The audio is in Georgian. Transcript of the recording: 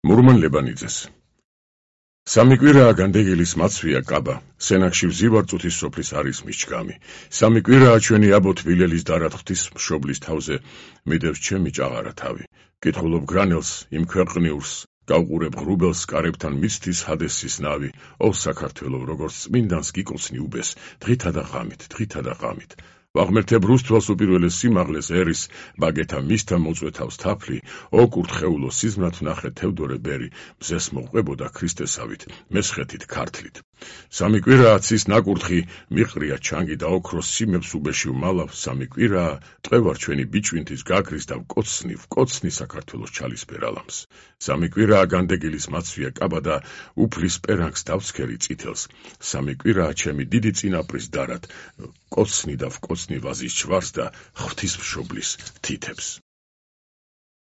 მურმან ლებანიძეს. სამი კვირაა განდეგილის მაცვია კაბა, სენაკში ვზივარწუთის სოფლის არის მიჩკამი. სამი კვირაა ჩვენი აბო თბილელის დარად ღვთისმშობლის თავზე მიდევს ჩემი ჭაღარა თავი. კითხულობ გრანელს, იმ ქვეყნიურს, გავყურებ ღრუბელს კარებთან მიცდის ჰადესის ნავი. ო საქართველო, როგორც წმინდანს გიკოცნი უბეს, დღითა და ღამით. ვაღმერთებ რუსთველს უპირველეს სიმაღლეს ერის, ბაგეთა მისთა მოწვეთავს თაფლი, ო კურთხეულო სიზმრად ვნახე თევდორე ბერი, მზეს მოყვებოდა ქრისტესავით, მესხეთით ქართლით. სამი კვირაა ცის ნაკურთხი, მიყრია ჩანგი და ოქროს სიმებს უბეში ვმალავ, სამი კვირაა ტყვევარ ჩვენი ბიჭვინთის გაქრის და ვკოცნი საქართველოს ჩალისფერ ალამს. სამი კვირაა განდეგილის მაცვია კაბა და უფლის პერანგს დავსქერი წითელს. სამი კვირაა ჩემი დიდი წინაპრის დარად, კოცნი და ვკოცნი ვაზის ჩვარს და ღვთისმშობლის თითებს.